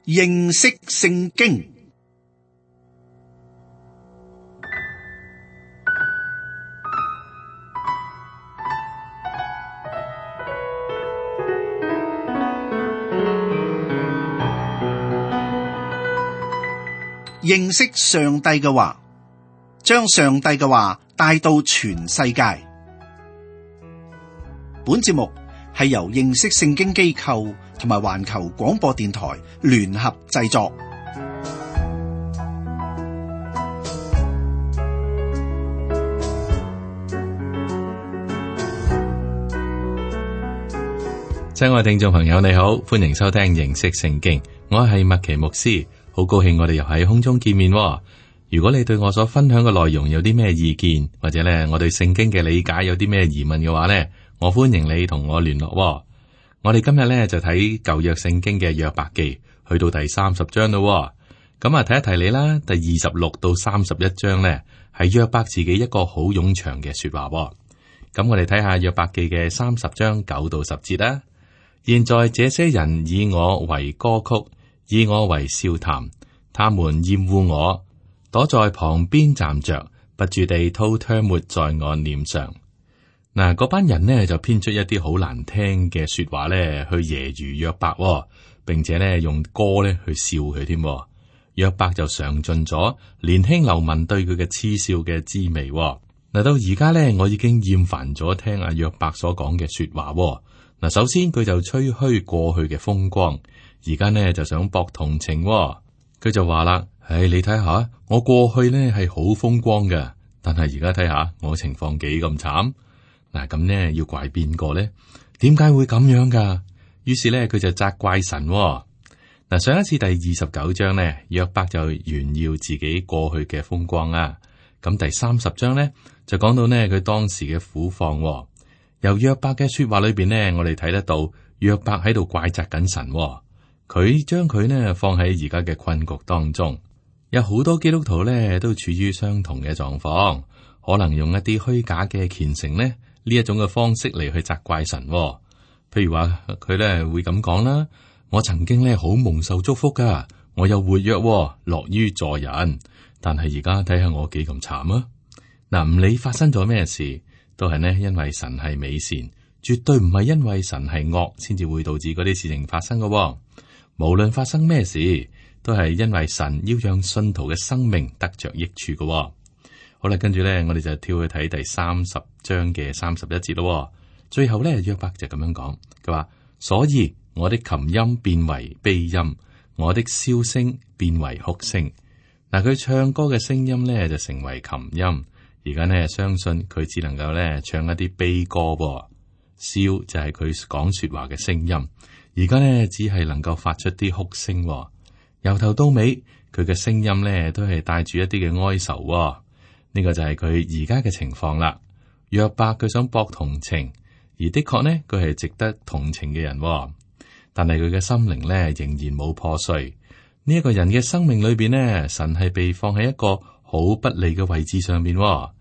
認識聖經。認識上帝嘅話，將上帝嘅話帶到全世界。本節目係由認識聖經機構同埋環球廣播電台聯合製作。親愛聽眾朋友，你好，歡迎收聽認識聖經，我係麥奇牧師。好高興我哋又喺空中見面喎。如果你對我所分享嘅內容有啲咩意見，或者咧我對聖經嘅理解有啲咩疑問嘅話呢，我歡迎你同我聯絡喎。我哋今日咧就睇舊約聖經嘅約伯記，去到第30章咯。咁啊，提一提你啦，第26到31章呢，係約伯自己一個好冗長嘅說話喎。咁我哋睇下約伯記嘅30章9到10節啦。現在這些人以我為歌曲，以我為笑談，他們厭惡我，躲在旁邊站着，不住地吐唾沫在我臉上。嗱，嗰班人呢就編出一啲好難聽嘅說話咧，去揶揄約伯，並且咧用歌咧去笑佢添。約伯就嘗盡咗年輕流民對佢嘅嗤笑嘅滋味。嗱，到而家咧，我已經厭煩咗聽阿約伯所講嘅說話。嗱，首先佢就吹噓過去嘅風光。而家呢就想博同情，佢就話啦：你睇下，我過去呢係好風光嘅，但係而家睇下我情況幾咁慘。嗱，咁呢要怪邊個呢？點解會咁樣噶？於是呢佢就責怪神。嗱，上一次第29章呢，約伯就炫耀自己過去嘅風光啊。咁第30章呢就講到呢佢當時嘅苦況。由約伯嘅說話裏邊呢，我哋睇得到約伯喺度怪責緊神。佢將佢呢放喺而家嘅困局當中，有好多基督徒呢都處於相同嘅狀況，可能用一啲虛假嘅虔誠呢一種嘅方式嚟去責怪神。譬如話佢呢會咁講啦：我曾經呢好蒙受祝福噶，我又活躍，樂於助人，但係而家睇下我幾咁慘啊！嗱，唔理發生咗咩事，都係呢因為神係美善，絕對唔係因為神係惡先至會導致嗰啲事情發生噶。無論發生咩事，都係因為神要讓信徒嘅生命得着益處嘅。好啦，跟住咧，我哋就跳去睇第30章嘅31節咯。最後咧，約伯就咁樣講，佢話：所以我的琴音變為悲音，我的簫聲變為哭聲。嗱，佢唱歌嘅聲音咧就成為琴音。而家呢，相信佢只能夠咧唱一啲悲歌。簫就係佢講說話嘅聲音。而家呢，只係能夠發出啲哭聲。由頭到尾，佢嘅聲音呢都係帶住一啲嘅哀愁。呢個就係佢而家嘅情況啦。約伯佢想博同情，而的確呢，佢係值得同情嘅人。但係佢嘅心靈呢仍然冇破碎。呢一個人嘅生命裏邊呢，神係被放喺一個好不利嘅位置上面。佢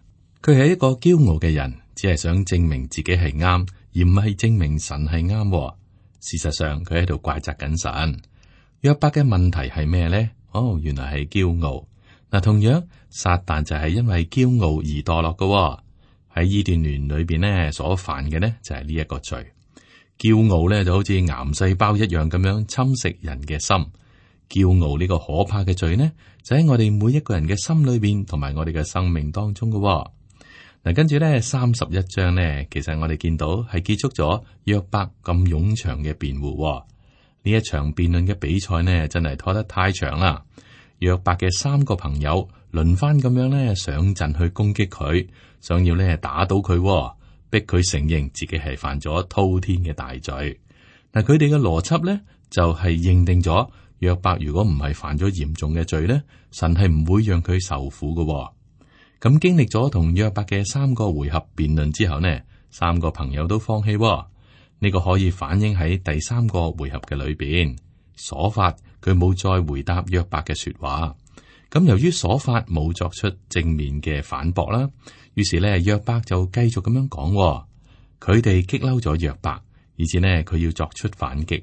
係一個驕傲嘅人，只係想證明自己係啱，而唔係證明神係啱。事實上，佢喺度怪責緊神。約伯嘅問題係咩呢？原來係驕傲。嗱，同樣撒旦就係因為驕傲而墮落嘅。喺伊甸園裏邊呢，所犯嘅呢就係呢一個罪。驕傲呢就好似癌細胞一樣咁樣侵蝕人嘅心。驕傲呢個可怕嘅罪呢，就喺我哋每一個人嘅心裏邊，同埋我哋嘅生命當中嘅。嗱，跟住咧31章呢，其實我哋見到係結束咗約伯咁冗長嘅辯護。呢一場辯論嘅比賽呢，真係拖得太長啦。約伯嘅3個朋友輪番咁樣咧上陣去攻擊佢，想要咧打倒佢，逼佢承認自己係犯咗滔天嘅大罪。嗱，佢哋嘅邏輯咧就係認定咗約伯如果唔係犯咗嚴重嘅罪咧，神係唔會讓佢受苦嘅。咁經歷咗同約伯嘅3個回合辯論之後呢，3個朋友都放棄。呢個可以反映喺第3個回合嘅裏邊，瑣法佢冇再回答約伯嘅說話。咁由於瑣法冇作出正面嘅反駁啦，於是呢約伯就繼續咁樣講。佢哋激嬲咗約伯，以至呢佢要作出反擊。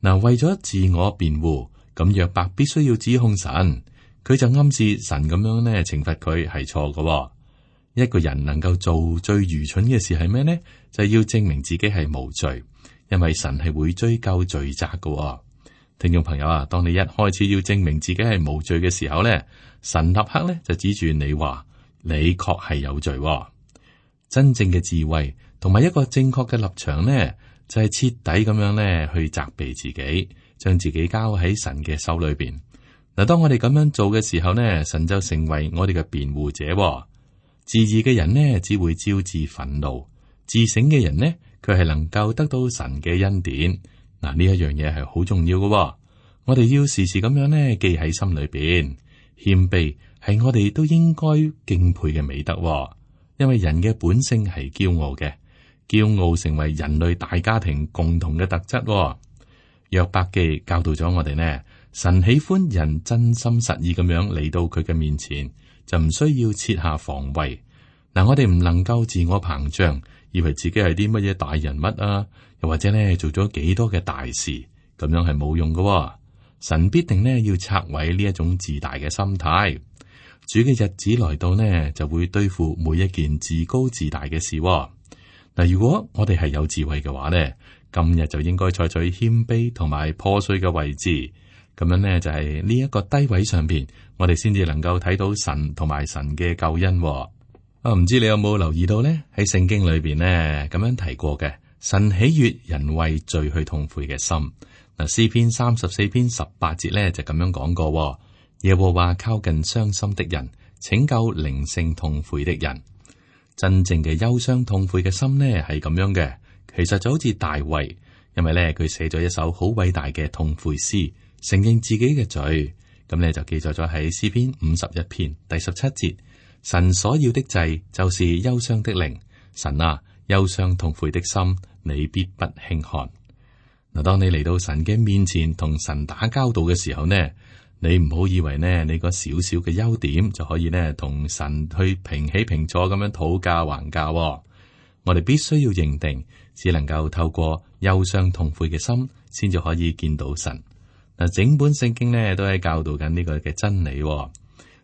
嗱，為咗自我辯護，咁約伯必須要指控神，佢就暗示神咁樣呢懲罰佢係錯嘅。一個人能夠做最愚蠢嘅事係咩呢？就係要證明自己係無罪，因為神係會追究罪責嘅。聽眾朋友啊，當你一開始要證明自己係無罪嘅時候呢，神立刻呢就指住你話，你確係有罪。真正嘅智慧同埋一個正確嘅立場呢，就係徹底咁樣呢去責備自己，將自己交喺神嘅手裏邊。嗱，當我哋咁樣做嘅時候呢，神就成為我哋嘅辯護者。自義嘅人呢，只會招致憤怒；自省嘅人呢，佢係能夠得到神嘅恩典。嗱，呢一樣嘢係好重要嘅。我哋要時時咁樣呢記喺心裏邊。謙卑係我哋都應該敬佩嘅美德，因為人嘅本性係驕傲嘅，驕傲成為人類大家庭共同嘅特質。約伯記教導咗我哋呢，神喜歡人真心實意咁樣嚟到佢嘅面前，就唔需要設下防衛。嗱，我哋唔能夠自我膨脹，以為自己係啲乜嘢大人物啊，又或者呢做咗幾多嘅大事，咁樣係冇用嘅。神必定呢要拆毀呢一種自大嘅心態。主嘅日子來到呢，就會對付每一件自高自大嘅事。嗱，如果我哋係有智慧嘅話呢，今日就應該採取謙卑同埋破碎嘅位置。咁樣呢，就係呢一個低位上邊，我哋先至能夠睇到神同埋神嘅救恩。唔知你有冇留意到呢？喺聖經裏邊呢，咁樣提過嘅，神喜悅人為罪去痛悔嘅心。嗱，詩篇34篇18節咧就咁樣講過：耶和華靠近傷心的人，拯救靈性痛悔的人。真正嘅憂傷痛悔嘅心呢係咁樣嘅，其實就好似大衛，因為咧佢寫咗一首好偉大嘅痛悔詩，承認自己嘅罪。咁咧就記載咗喺詩篇51篇第17節：神所要的祭就是憂傷的靈，神啊，憂傷痛悔的心，你必不輕看。嗱，當你嚟到神嘅面前同神打交道嘅時候呢，你唔好以為呢你個少少嘅優點就可以呢同神去平起平坐咁樣討價還價。我哋必須要認定，只能夠透過憂傷痛悔嘅心，先至可以見到神。嗱，整本聖經呢都係教導緊呢個嘅真理。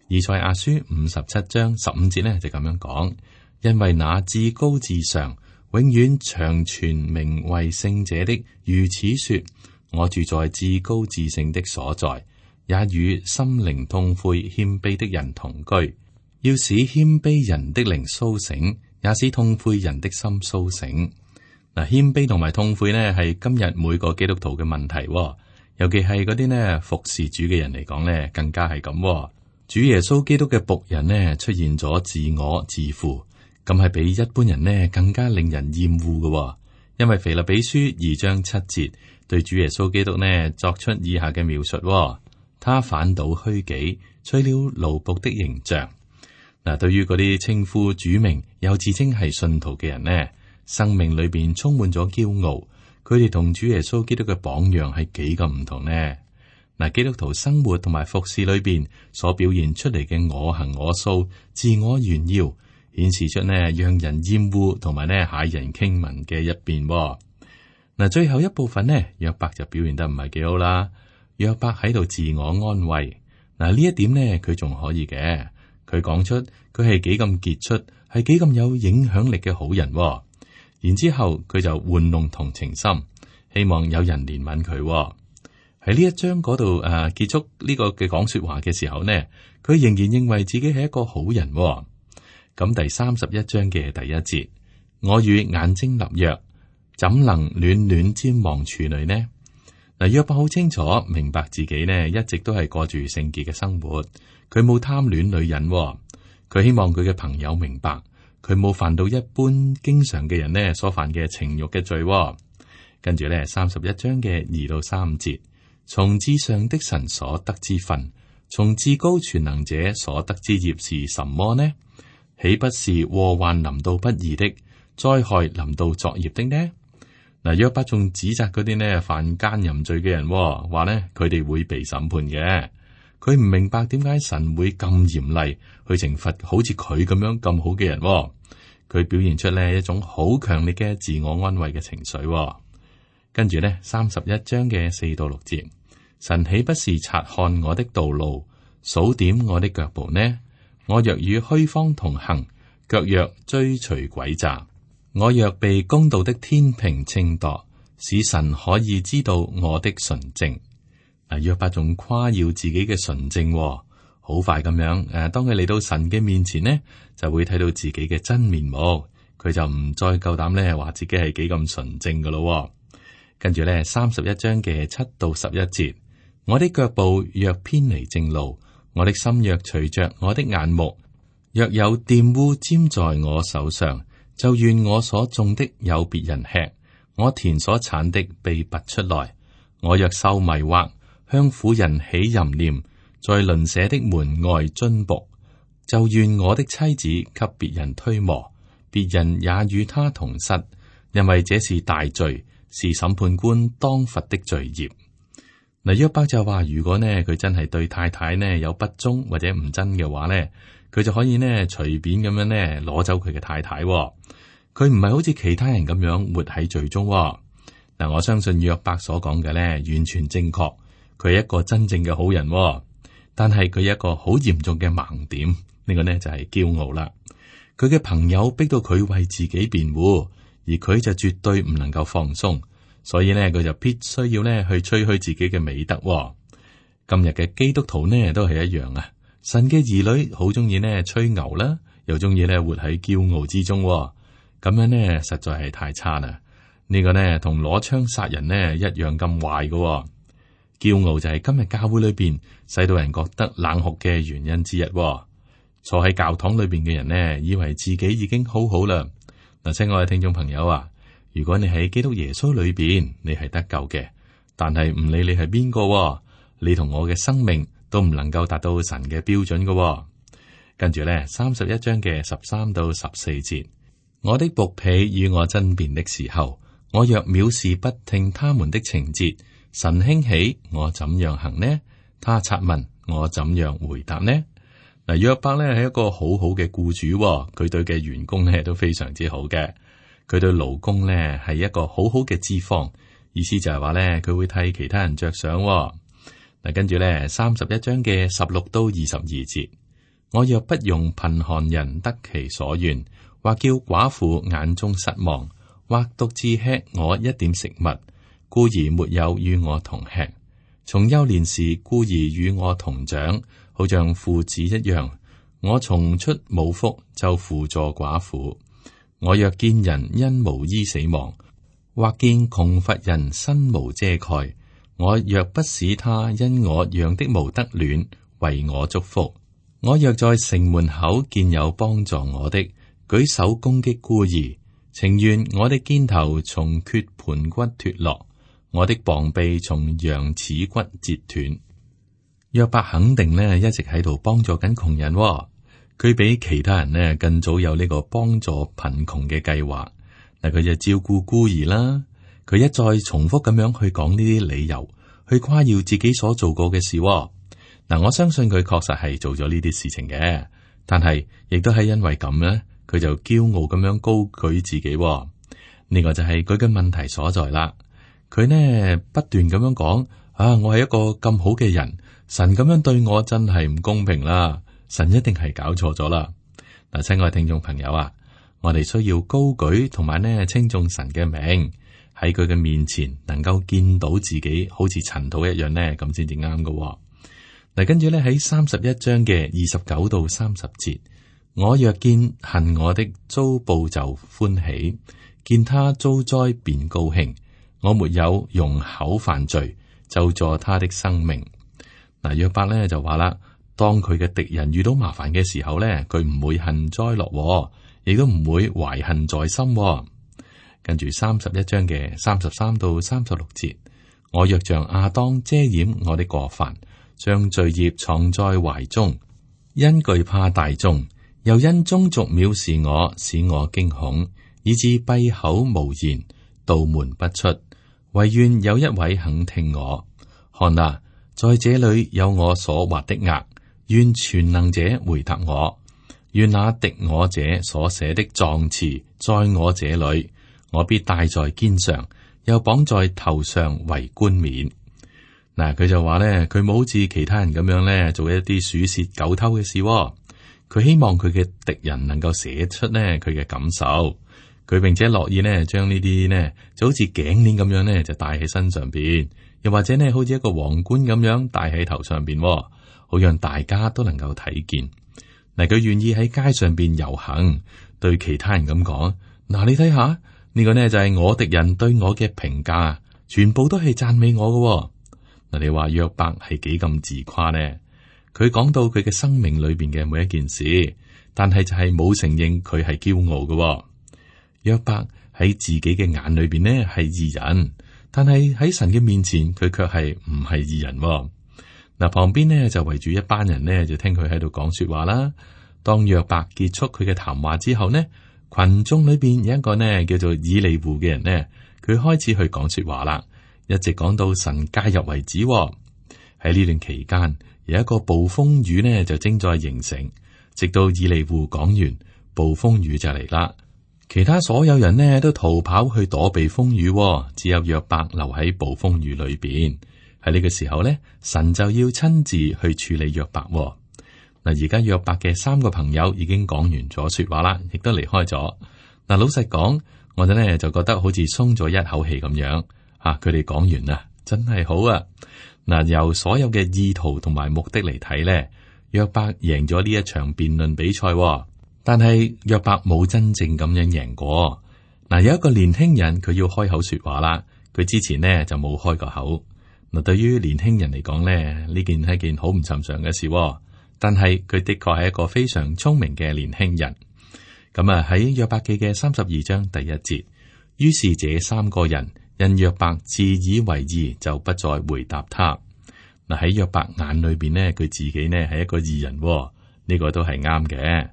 以賽亞書57章15節呢就咁樣講：因為那至高至上，永遠長存名為聖者的如此說，我住在至高至聖的所在，也與心靈痛悔謙卑的人同居，要使謙卑人的靈甦醒，也使痛悔人的心甦醒。嗱，謙卑同埋痛悔呢係今日每個基督徒嘅問題，尤其係嗰啲呢服侍主嘅人嚟講呢，更加係咁。主耶穌基督嘅僕人呢出現咗自我自負。咁係比一般人呢更加令人厭惡嘅，因為腓立比書2章7節對主耶穌基督呢作出以下嘅描述：他反倒虛己，取了奴僕的形象。嗱，對於嗰啲稱呼主名又自稱係信徒嘅人呢，生命裏邊充滿咗驕傲，佢哋同主耶穌基督嘅榜樣係幾咁唔同呢？嗱，基督徒生活同埋服侍裏邊所表現出嚟嘅我行我素、自我炫耀，顯示出呢讓人厭惡同埋呢駭人傾聞嘅一邊。嗱，最後一部分呢，約伯就表現得唔係幾好啦。約伯喺度自我安慰。嗱，呢一點呢，佢仲可以嘅。佢講出佢係幾咁傑出，係幾咁有影響力嘅好人。然之後佢就玩弄同情心，希望有人憐憫佢。喺呢一章嗰度結束呢個嘅講說話嘅時候呢，佢仍然認為自己係一個好人。咁第31章嘅第1節，我與眼睛立約，怎能戀戀瞻望處女呢？嗱，約伯好清楚明白自己呢一直都係過住聖潔嘅生活，佢冇貪戀女人。佢希望佢嘅朋友明白，佢冇犯到一般經常嘅人呢所犯嘅情欲嘅罪。跟住呢31章嘅2到3節，從至上的神所得之分，從至高全能者所得之業是什麼呢？豈不是禍患臨到不義的，災害臨到作孽的呢？嗱，約伯仲指責嗰啲呢犯奸淫罪嘅人，話呢佢哋會被審判嘅。佢唔明白點解神會咁嚴厲去懲罰好似佢咁樣咁好嘅人。佢表現出呢一種好強烈嘅自我安慰嘅情緒。跟住呢31章嘅4到6節，神豈不是察看我的道路，數點我的腳步呢？我若與虛謊同行，腳若追隨詭詐，我若被公道的天平稱度，使神可以知道我的純正。約伯仲誇耀自己嘅純正，好快咁樣。當佢嚟到神嘅面前呢，就會睇到自己嘅真面目，佢就唔再夠膽咧話自己係幾咁純正噶咯。跟住咧31章嘅7到11節，我的腳步若偏離正路，我的心若隨着我的眼目，若有玷污沾在我手上，就願我所種的有別人吃，我田所產的被拔出來。我若受迷惑，向婦人起淫念，在鄰舍的門外蹲僕，就願我的妻子給別人推磨，別人也與他同室，因為這是大罪，是審判官當罰的罪孽。嗱，約伯就話，如果呢佢真係對太太呢有不忠或者唔真嘅話呢，佢就可以呢隨便咁樣呢攞走佢嘅太太。佢唔係好似其他人咁樣活喺罪中。嗱，我相信約伯所講嘅呢完全正確，佢係一個真正嘅好人。但係佢有一個好嚴重嘅盲點，呢個呢就係驕傲啦。佢嘅朋友逼到佢為自己辯護，而佢就絕對唔能夠放鬆，所以呢，佢就必須要呢去吹噓自己嘅美德。今日嘅基督徒呢都係一樣啊，神嘅兒女好中意呢吹牛啦，又中意呢活喺驕傲之中，咁樣呢實在係太差啦。呢個呢同攞槍殺人呢一樣咁壞嘅。驕傲就係今日教會裏邊使到人覺得冷酷嘅原因之一。坐喺教堂裏邊嘅人呢，以為自己已經好好啦。嗱，親愛嘅聽眾朋友啊，如果你喺基督耶穌裏邊，你係得救嘅，但係唔理你係邊個，你同我嘅生命都唔能夠達到神嘅標準嘅。跟住咧，31章嘅13到14節，我的僕婢與我爭辯的時候，我若藐視不聽他們的情節，神興起，我怎樣行呢？他察問，我怎樣回答呢？嗱，約伯咧係一個好好嘅僱主，佢對嘅員工咧都非常之好嘅。佢對勞工咧係一個好好嘅資方，意思就係話咧佢會替其他人着想。嗱，跟住咧31章嘅16到22節，我若不用貧寒人得其所願，或叫寡婦眼中失望，或獨自吃我一點食物，孤兒沒有與我同吃，從幼年時孤兒與我同長，好像父子一樣。我從出母腹就扶助寡婦。我若見人因無衣死亡，或見窮乏人身無遮蓋，我若不使他因我養的毛得暖，為我祝福。我若在城門口見有幫助我的，舉手攻擊孤兒，情願我的肩頭從缺盆骨脫落，我的膀臂從羊齒骨折斷。約伯肯定呢一直喺度幫助緊窮人，佢比其他人呢更早有呢個幫助貧窮嘅計劃。嗱，佢就照顧孤兒啦，佢一再重複咁樣去講呢啲理由，去誇耀自己所做過嘅事。嗱，我相信佢確實係做咗呢啲事情嘅，但係亦都係因為咁呢，佢就驕傲咁樣高舉自己。呢個就係佢嘅問題所在啦。佢呢不斷咁樣講啊，我係一個咁好嘅人，神咁樣對我真係唔公平啦，神一定係搞錯咗啦。嗱，親愛聽眾朋友啊，我哋需要高舉同埋呢稱頌神嘅名，喺佢嘅面前能夠見到自己好似塵土一樣呢，咁先至啱㗎。嗱，跟住咧喺31章嘅29到30節，我若見恨我的遭報就歡喜，見他遭災便高興。我沒有用口犯罪，就助他的生命。嗱，約伯咧就話啦，當佢嘅敵人遇到麻煩嘅時候咧，佢唔會幸災樂禍，亦都唔會懷恨在心。跟住31章嘅33到36節，我若像亞當遮掩我的過犯，將罪孽藏在懷中，因懼怕大眾，又因宗族藐視我，使我驚恐，以致閉口無言，道門不出。惟願有一位肯聽我。看哪，在這裏有我所畫的額，願全能者回答我。願那敵我者所寫的狀詞在我這裏，我必戴在肩上，又綁在頭上為冠冕。嗱，佢就話咧，佢冇好似其他人咁樣咧做一啲鼠竊狗偷嘅事。佢希望佢嘅敵人能夠寫出咧佢嘅感受。佢並且樂意咧將呢啲呢就好似頸鏈咁樣咧就戴喺身上邊，又或者呢好似一個皇冠咁樣戴喺頭上邊，好讓大家都能夠睇見。嗱，佢願意喺街上邊遊行，對其他人咁講：嗱，你睇下呢個呢就係我敵人對我嘅評價，全部都係讚美我嘅。嗱，你話約伯係幾咁自誇呢？佢講到佢嘅生命裏邊嘅每一件事，但係就係冇承認佢係驕傲嘅。約伯喺自己嘅眼裏邊呢係義人，但係喺神嘅面前佢卻係唔係義人。嗱，旁邊呢就圍住一班人呢，就聽佢喺度講說話啦。當約伯結束佢嘅談話之後呢，群眾裏邊有一個呢叫做以利戶嘅人呢，佢開始去講說話啦，一直講到神介入為止。喺呢段期間，有一個暴風雨呢就正在形成，直到以利戶講完，暴風雨就嚟啦。其他所有人呢都逃跑去躲避風雨，只有約伯留喺暴風雨裏邊。喺呢個時候呢，神就要親自去處理約伯。嗱，而家約伯嘅三個朋友已經講完咗說話啦，亦都離開咗。嗱，老實講，我哋呢就覺得好似鬆咗一口氣咁樣。佢哋講完啦，真係好啊！嗱，由所有嘅意圖同埋目的嚟睇呢，約伯贏咗呢一場辯論比賽。但係約伯冇真正咁樣贏過。嗱，有一個年輕人佢要開口說話啦，佢之前呢就冇開個口。嗱，對於年輕人嚟講呢，呢件係件好唔尋常嘅事。但係佢的確係一個非常聰明嘅年輕人。咁啊，喺約伯記嘅32章第1節，於是這三個人因約伯自以為義，就不再回答他。嗱，喺約伯眼裏邊呢，佢自己呢係一個義人，呢個都係啱嘅。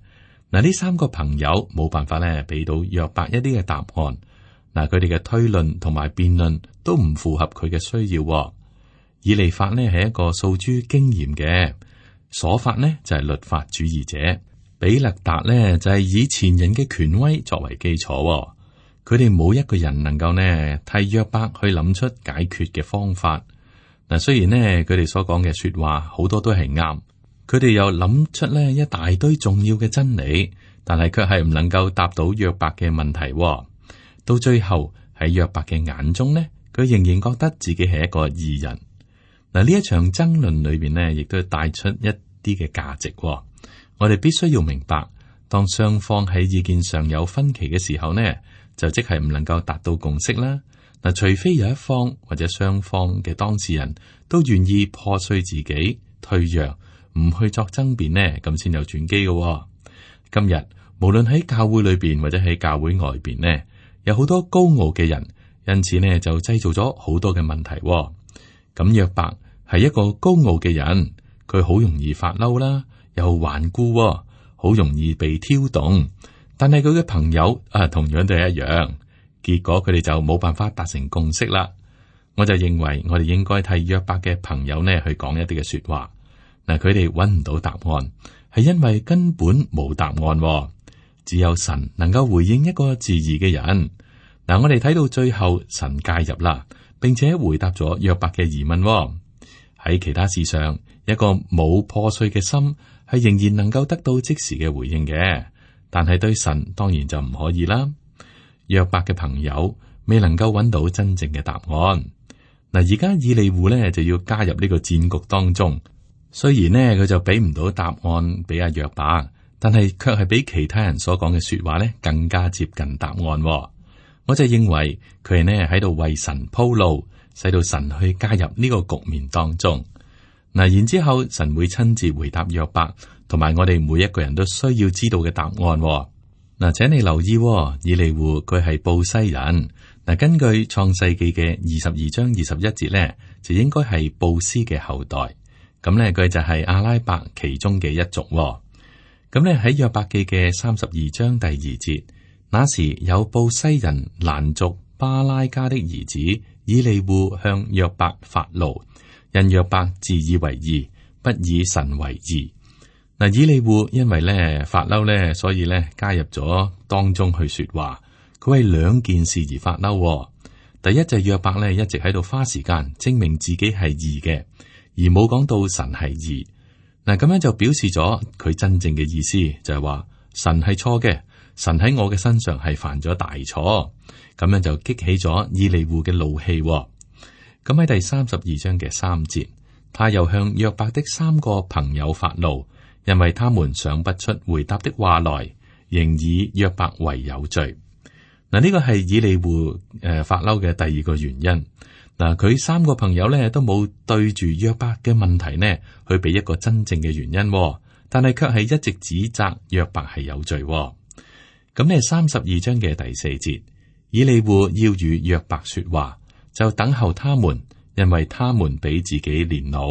嗱，呢三個朋友冇辦法咧俾到約伯一啲嘅答案。嗱，佢哋嘅推論同埋辯論都唔符合佢嘅需要。以利法呢係一個訴諸經驗嘅，瑣法呢就係律法主義者，比勒達呢就係以前人嘅權威作為基礎。佢哋冇一個人能夠呢替約伯去諗出解決嘅方法。嗱，雖然呢佢哋所講嘅說話好多都係啱。佢哋又諗出呢一大堆重要嘅真理，但係卻係唔能夠答到約伯嘅問題。到最後喺約伯嘅眼中呢，佢仍然覺得自己係一個義人。嗱，呢一場爭論裏邊呢，亦都帶出一啲嘅價值。我哋必須要明白，當雙方喺意見上有分歧嘅時候呢，就即係唔能夠達到共識啦。嗱，除非有一方或者雙方嘅當事人都願意破碎自己、退讓，唔去作爭辯呢，咁先有轉機嘅。今日無論喺教會裏邊或者喺教會外邊呢，有好多高傲嘅人，因此呢就製造咗好多嘅問題。咁約伯係一個高傲嘅人，佢好容易發嬲啦，又頑固，好容易被挑動。但係佢嘅朋友同樣都係一樣，結果佢哋就冇辦法達成共識啦。我就認為我哋應該替約伯嘅朋友呢去講一啲嘅說話。嗱，佢哋揾唔到答案，係因為根本冇答案。只有神能夠回應一個質疑嘅人。嗱，我哋睇到最後，神介入啦，並且回答咗約伯嘅疑問。喺其他事上，一個冇破碎嘅心係仍然能夠得到即時嘅回應嘅，但係對神當然就唔可以啦。約伯嘅朋友未能夠揾到真正嘅答案。嗱，而家以利戶呢就要加入呢個戰局當中。雖然呢，佢就俾唔到答案俾阿約伯，但係卻係比其他人所講嘅說話呢更加接近答案。我就認為佢係呢喺度為神鋪路，使到神去加入呢個局面當中。嗱，然之後神會親自回答約伯，同埋我哋每一個人都需要知道嘅答案。嗱，請你留意，以利戶佢係布西人。嗱，根據創世記嘅22章21節呢，就應該係布斯嘅後代。咁呢，佢就係阿拉伯其中嘅一族。咁呢，喺約伯記嘅32章第2節，那時有布西人蘭族巴拉加的兒子以利戶向約伯發怒，因約伯自以為義，不以神為義。嗱，以利戶因為呢發嬲呢，所以呢加入咗當中去說話。佢為兩件事而發嬲。第第一就係約伯咧一直喺度花時間證明自己係義嘅，而冇講到神係義。嗱，咁樣就表示咗佢真正嘅意思，就係話神係錯嘅，神喺我嘅身上係犯咗大錯。咁樣就激起咗以利戶嘅怒氣。咁喺第32章嘅3節，他又向約伯的3個朋友發怒，因為他們想不出回答的話來，仍以約伯為有罪。嗱，呢個係以利戶發嬲嘅第二個原因。嗱，佢3個朋友咧都冇對住約伯嘅問題呢去俾一個真正嘅原因，但係卻係一直指責約伯係有罪。咁呢32章嘅第4節，以利戶要與約伯說話，就等候他們，因為他們比自己年老。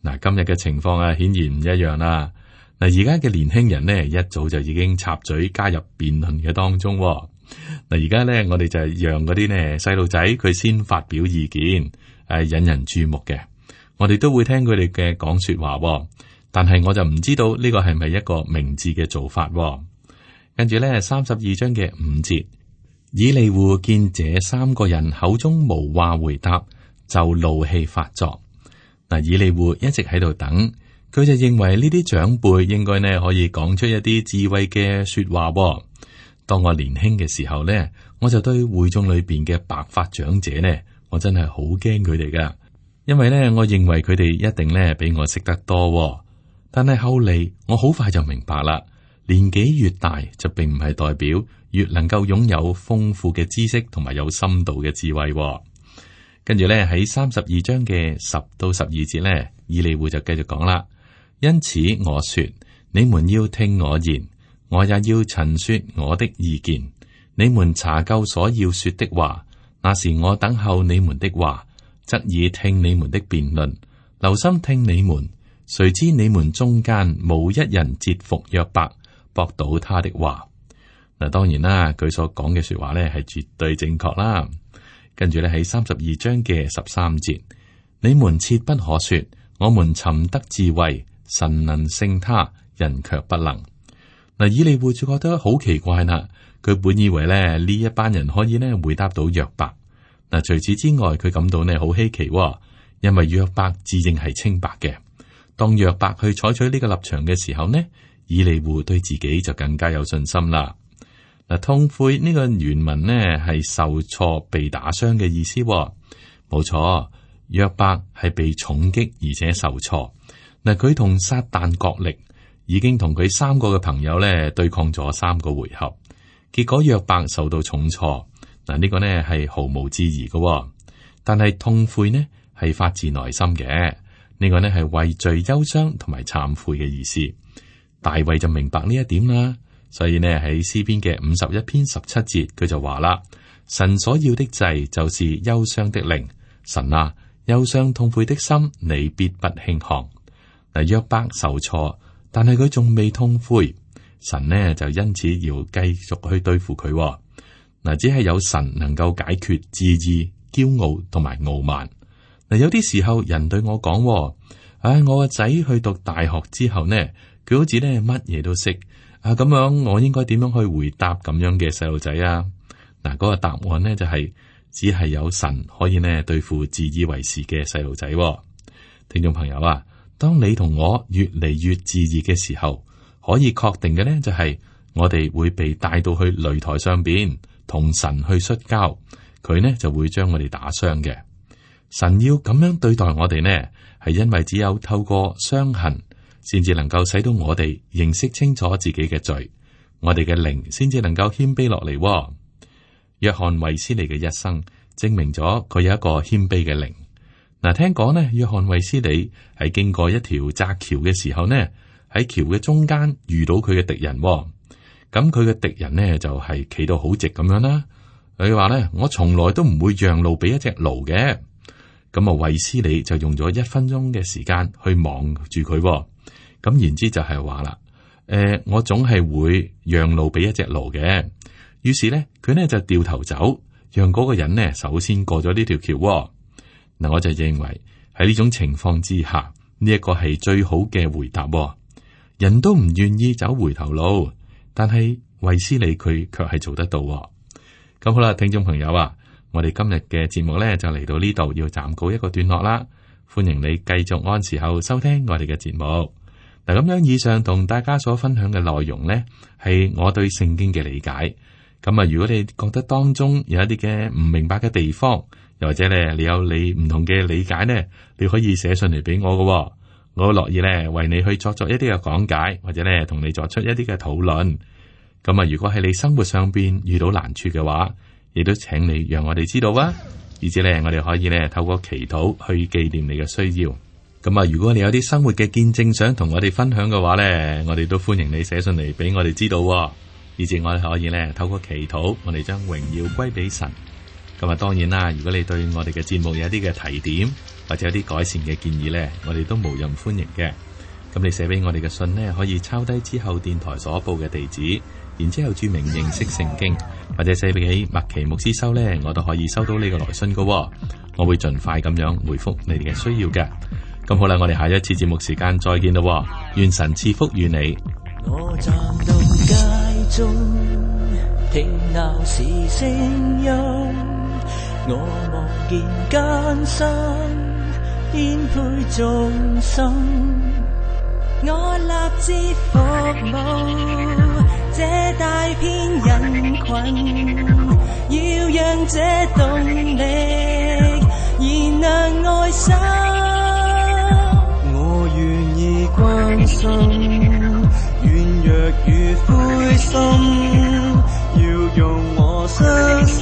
嗱，今日嘅情況啊，顯然唔一樣啦。嗱，而家嘅年輕人呢，一早就已經插嘴加入辯論嘅當中。嗱，而家呢，我哋就係讓嗰啲呢細路仔佢先發表意見，引人注目嘅。我哋都會聽佢哋嘅講說話，但係我就唔知道呢個係咪一個明智嘅做法。跟住呢32章嘅5節。以利戶見這3個人口中無話回答，就怒氣發作。嗱，以利戶一直喺度等，佢就認為呢啲長輩應該呢可以講出一啲智慧嘅說話。當我年輕嘅時候呢，我就對會眾裏邊嘅白髮長者呢，我真係好驚佢哋噶，因為呢，我認為佢哋一定呢比我識得多。但係後嚟我好快就明白啦，年紀越大就並唔係代表越能夠擁有豐富嘅知識同埋有深度嘅智慧。跟住咧喺32章嘅10到12節咧，以利戶就繼續講啦。因此我說，你們要聽我言，我也要陳說我的意見。你們查究所要說的話，那時我等候你們的話，側耳聽你們的辯論，留心聽你們。誰知你們中間無一人折服約伯，駁倒他的話。嗱，當然啦，佢所講嘅說話咧係絕對正確啦。跟住咧喺32章嘅13節，你們切不可說，我們尋得智慧，神能勝他，人卻不能。嗱，以利戶就覺得好奇怪啦。佢本以為咧呢一班人可以咧回答到約伯。嗱，除此之外，佢感到呢好稀奇，因為約伯自認係清白嘅。當約伯去採取呢個立場嘅時候呢，以利戶對自己就更加有信心啦。嗱，痛悔呢個原文呢係受挫、被打傷嘅意思。冇錯，約伯係被重擊而且受挫。嗱，佢同撒旦角力，已經同佢3個嘅朋友咧對抗咗3個回合，結果約伯受到重挫。嗱，呢個呢係毫無置疑嘅。但係痛悔呢係發自內心嘅，呢個呢係為罪憂傷同埋懺悔嘅意思。大衛就明白呢一點啦。所以呢，喺詩篇嘅51篇17節，佢就話啦：神所要的祭就是憂傷的靈。神啊，憂傷痛悔的心，你必不輕看。嗱，約伯受挫，但係佢仲未痛悔，神呢就因此要繼續去對付佢。嗱，只係有神能夠解決自義、驕傲同埋傲慢。嗱，有啲時候人對我講：我個仔去讀大學之後呢，佢好似呢乜嘢都識。咁樣我應該點樣去回答咁樣嘅細路仔啊？嗱，嗰個答案呢就係只係有神可以呢對付自以為是嘅細路仔。聽眾朋友啊，當你同我越嚟越自義嘅時候，可以確定嘅呢就係我哋會被帶到去擂台上邊同神去摔跤，佢呢就會將我哋打傷嘅。神要咁樣對待我哋呢，係因為只有透過傷痕，先至能夠使到我哋認識清楚自己嘅罪，我哋嘅靈先至能夠謙卑落嚟。約翰衛斯理嘅一生證明咗佢有一個謙卑嘅靈。嗱，聽講呢，約翰衛斯理係經過一條窄橋嘅時候呢，喺橋嘅中間遇到佢嘅敵人。咁佢嘅敵人呢就係企到好直咁樣啦。佢話呢，我從來都唔會讓路俾一隻驢嘅。咁啊，衛斯理就用咗1分鐘嘅時間去望住佢。咁言之就係話啦，我總係會讓路俾一隻驢嘅。於是咧，佢呢就掉頭走，讓嗰個人呢首先過咗呢條橋。嗱，我就認為喺呢種情況之下，呢一個係最好嘅回答。人都唔願意走回頭路，但係衛斯理佢卻係做得到。咁好啦，聽眾朋友啊，我哋今日嘅節目呢，就嚟到呢度，要暫告一個段落啦。歡迎你繼續按時候收聽我哋嘅節目。嗱，咁樣以上同大家所分享嘅內容呢，係我對聖經嘅理解。咁啊，如果你覺得當中有一啲嘅唔明白嘅地方，又或者咧你有你唔同嘅理解呢，你可以寫信嚟俾我嘅，我樂意咧為你去作一啲嘅講解，或者咧同你作出一啲嘅討論。咁啊，如果喺你生活上邊遇到難處嘅話，亦都請你讓我哋知道啊，以至咧我哋可以咧透過祈禱去紀念你嘅需要。咁啊，如果你有啲生活嘅見證想同我哋分享嘅話咧，我哋都歡迎你寫信嚟俾我哋知道，以至我哋可以咧透過祈禱，我哋將榮耀歸俾神。咁啊，當然啦，如果你對我哋嘅節目有一啲嘅提點，或者有啲改善嘅建議咧，我哋都無任歡迎嘅。咁你寫俾我哋嘅信呢，可以抄低之後電台所報嘅地址，然之後注明認識聖經，或者寫俾麥奇牧師收呢，我都可以收到呢個來信㗎。我會盡快咁樣回覆你哋嘅需要嘅。咁好啦，我哋下一次節目時間再見咯。願神賜福與你。我站到街中，聽鬧市聲音，我望見艱辛顛沛眾生，我立志服務這大片人群，要讓這動力燃亮愛心，我願意關心軟弱與灰心，要用我雙手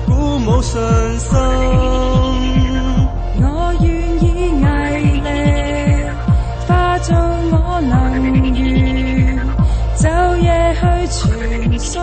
鼓舞信心，我願意毅力化做我能源，晝夜去傳送。